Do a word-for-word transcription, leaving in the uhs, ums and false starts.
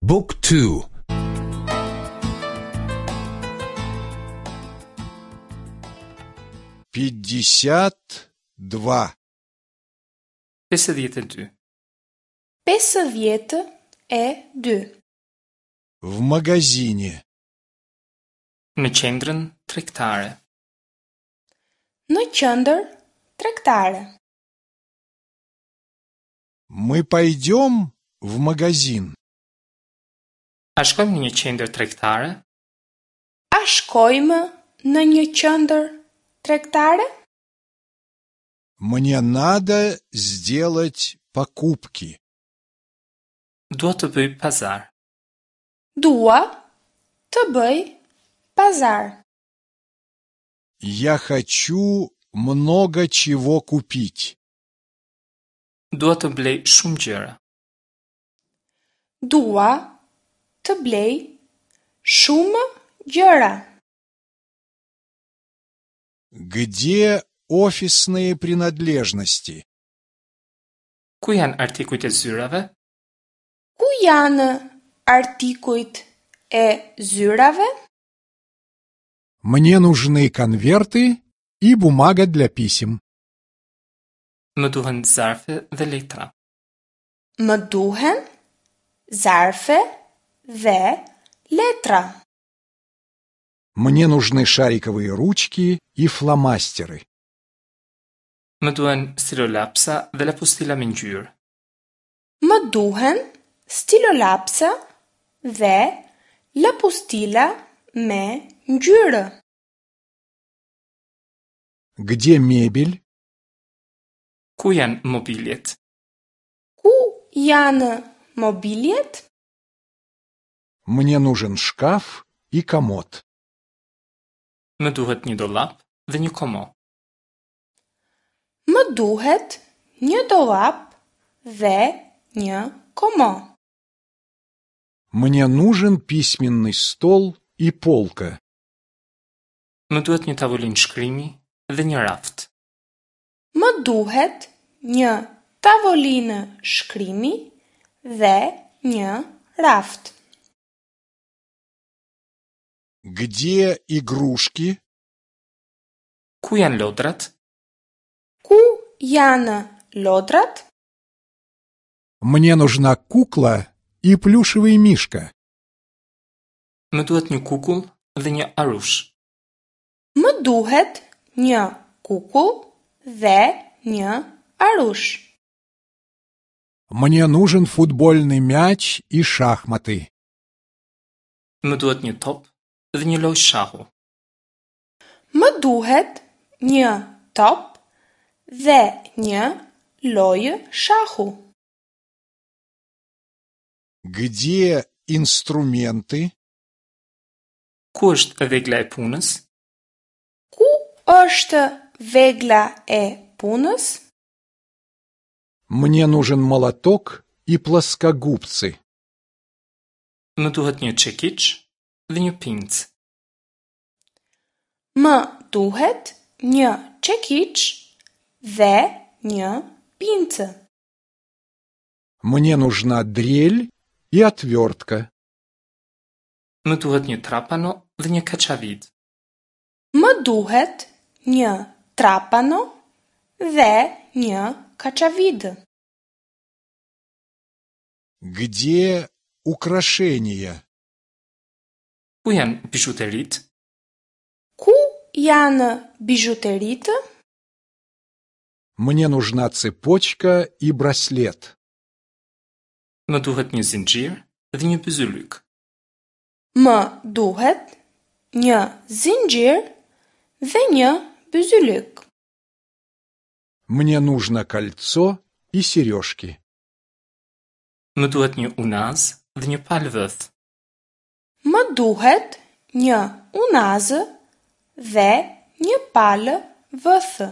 Book two. Пятьдесят два. Pesëdhjetë e dy. Pesëdhjetë e dy. В магазине. Në qendrën tregtare. Në qendër tregtare. Мы пойдем в магазин? A shkojmë në një qendër tregtare? A shkojmë në një qendër tregtare? Мне надо сделать покупки. Dua të bëj pazar. Dua të bëj pazar. Я хочу много чего купить. Dua të blej shumë gjëra. Dua të blej shumë gjëra. Где офисные принадлежности? Ku janë artikujt e zyrave? Ku janë artikujt e zyrave? Мне нужны конверты и бумага для писем. Më duhen zarfe dhe letra. Më duhen zarfe dhe letra. Мне нужны шариковые ручки и фломастеры. Më duhen stilolapsa dhe lapustila me ngjyrë. Më duhen stilolapsa dhe lapustila me ngjyrë. Где мебель? Ku janë mobiljet? Ku janë mobiljet? Мне нужен шкаф и комод. Më duhet një dollap dhe një komo. Më duhet një dollap dhe një komo. Мне нужен письменный стол и полка. Më duhet një tavolinë shkrimi dhe një raft. Më duhet një tavolinë shkrimi dhe një raft. Где игрушки? Ku janë lodrat? Ku janë lodrat? Мне нужна кукла и плюшевый мишка. Më duhet një kukull dhe një arush. Më duhet një kukull dhe një arush. Мне нужен футбольный мяч и шахматы. Më duhet një top dhe një lojë shahu. Më duhet një top dhe një lojë shahu. Где инструменты? Ku është vegla e punës? Ku është vegla e punës? Мне нужен молоток и плоскогубцы. Më duhet një çekiç dhe një pincë. Më duhet një çekiç dhe një pincë. Мне нужна дрель и отвертка. Më duhet një trapano dhe një kaçavid. Më duhet një trapano dhe një kaçavid. Где украшения? Ku janë bizhuteritë? Ku janë bizhuteritë? Мне нужна цепочка и браслет. Më duhet një zinxhir dhe një byzylyk. Më duhet një zinxhir dhe një byzylyk. Мне нужно кольцо и сережки. Më duhet një unaz dhe një palë vëth. Më duhet një unazë dhe një palë vëthë.